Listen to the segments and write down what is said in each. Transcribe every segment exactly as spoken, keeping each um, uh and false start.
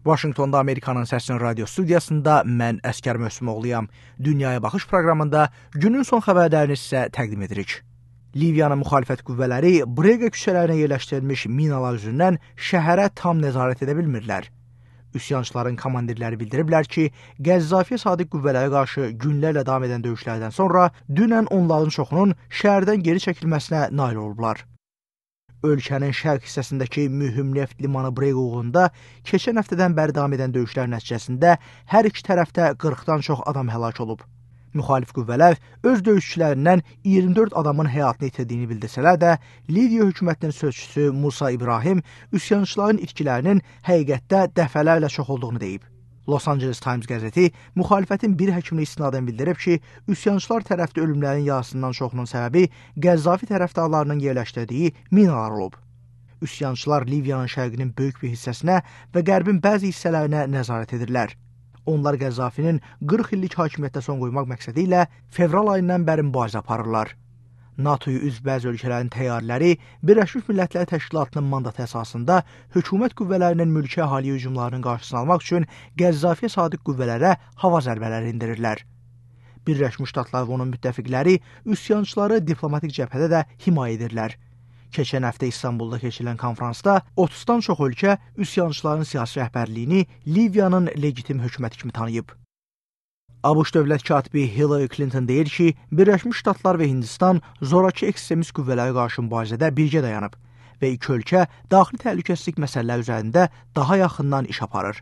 Vaşinqtonda Amerikanın Səsinin radio studiyasında mən Əskər Möhsümoğluyam. Dünyaya Baxış proqramında günün son xəbərlərini sizə təqdim edirik. Liviyanın müxalifət qüvvələri Brega küçələrinə yerləşdirilmiş minalar üzündən şəhərə tam nəzarət edə bilmirlər. Üsyançıların komandirləri bildiriblər ki, Qəzzafiyə sadiq qüvvələrə qarşı günlərlə davam edən döyüşlərdən sonra dünən onların çoxunun şəhərdən geri çəkilməsinə nail olublar. Ölkənin şərq hissəsindəki mühüm neft limanı Brega uğrunda keçən həftədən bəri davam edən döyüşlər nəticəsində hər iki tərəfdə qırxdan çox adam həlak olub. Müxalif qüvvələr öz döyüşçülərindən iyirmi dörd adamın həyatını itirdiyini bildirsələr də, Liviya hökumətinin sözçüsü Musa İbrahim üsyançıların itkilərinin həqiqətdə dəfələrlə çox olduğunu deyib. Los Angeles Times qəzeti müxalifətin bir həkimini istinadən bildirib ki, üsyançılar tərəfdə ölümlərin yarısından çoxunun səbəbi Qəzzafi tərəfdarlarının yerləşdirdiyi minalar olub. Üsyançılar Liviyanın şərqinin böyük bir hissəsinə və qərbin bəzi hissələrinə nəzarət edirlər. Onlar Qəzzafinin qırx illik hakimiyyətdə son qoymaq məqsədi ilə fevral ayından bəri mübarizə aparırlar. NATOya üzv bəzi ölkələrin təyyarələri Birləşmiş Millətlər Təşkilatının mandatı əsasında hökumət qüvvələrinin mülki əhaliyə hücumlarının qarşısını almaq üçün Qəzzafiyə sadiq qüvvələrə hava zərbələri endirirlər. Birləşmiş Ştatlar və onun müttəfiqləri üsyançıları diplomatik cəbhədə də himayə edirlər. Keçən həftə İstanbulda keçirilən konfransda otuzdan çox ölkə üsyançıların siyasi rəhbərliyini Liviyanın legitim hökuməti kimi tanıyıb. ABŞ dövlət katibi Hillary Clinton deyir ki, Birləşmiş Ştatlar və Hindistan zorakı ekstremist qüvvələrə qarşı mübarizədə birgə dayanıb və iki ölkə daxili təhlükəsizlik məsələləri üzərində daha yaxından iş aparır.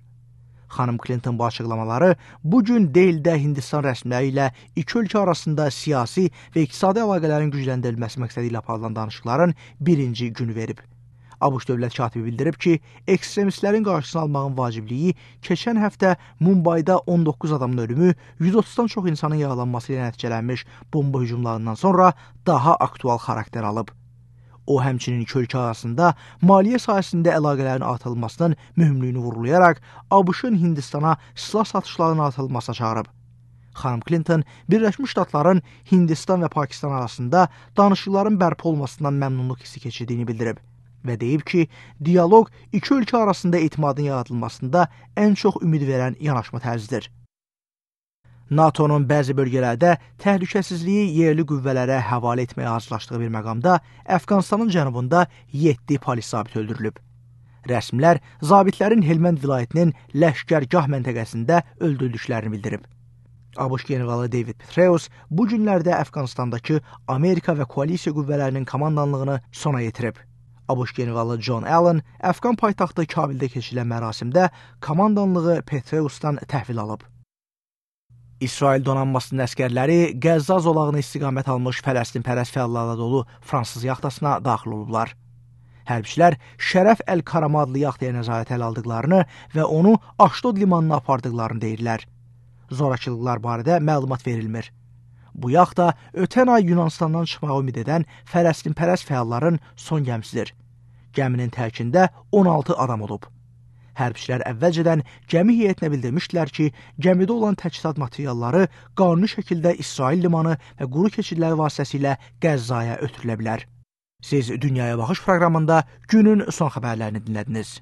Xanım Clinton bu açıqlamaları bu gün Delhidə Hindistan rəsmiləri ilə iki ölkə arasında siyasi və iqtisadi əlaqələrin gücləndirilməsi məqsədi ilə aparılan danışıqların birinci günü verib. ABŞ dövlət katibi bildirib ki, ekstremistlərin qarşısını almağın vacibliyi keçən həftə Mumbayda on doqquz adamın ölümü, yüz otuzdan çox insanın yaralanması ilə nəticələnmiş bomba hücumlarından sonra daha aktual xarakter alıb. O, həmçinin iki ölkə arasında maliyyə sahəsində əlaqələrin artırılmasının mühümlüyünü vurgulayaraq ABŞ-ın Hindistana silah satışlarının artırılmasına çağırıb. Xanım Clinton, Birləşmiş Ştatların Hindistan və Pakistan arasında danışıqların bərpa olmasından məmnunluq hissi keçirdiyini bildirib və deyib ki, dialoq iki ölkə arasında etimadın yaradılmasında ən çox ümid verən yanaşma tərzidir. NATOnun bəzi bölgələrdə təhlükəsizliyi yerli qüvvələrə həvalə etməyə hazırlaşdığı bir məqamda Əfqanistanın cənubunda yeddi polis zabiti öldürülüb. Rəsmilər zabitlərin Helmand vilayətinin Ləşkərgah məntəqəsində öldürüldüklərini bildirib. ABŞ generalı David Petraeus bu günlərdə Əfqanistandakı Amerika və koalisiya qüvvələrinin komandanlığını sona yetirib. ABŞ generalı John Allen Əfqan paytaxtı Kabildə keçirilən mərasimdə komandanlığı Petraeusdan təhvil alıb. İsrail donanmasının əskərləri Qəzza zolağına istiqamət almış Fələstinpərəst fəallarla dolu fransız yaxtasına daxil olublar. Hərbçilər Şərəf Əl-Karama adlı yaxtaya nəzarət ələ aldıqlarını və onu Aşdod limanına apardıqlarını deyirlər. Zorakılıqlar barədə məlumat verilmir. Bu yaxta ötən ay Yunanistandan çıxmağı ümid edən Fələstinpərəst fəalların son gəmisidir. Gəminin tərkində on altı adam olub. Hərbçilər əvvəlcədən gəmi heyətinə bildirmişdilər ki, gəmidə olan təchizat materialları qanuni şəkildə İsrail limanı və quru keçidləri vasitəsilə Qəzzaya ötürülə bilər. Siz Dünyaya Baxış proqramında günün son xəbərlərini dinlədiniz.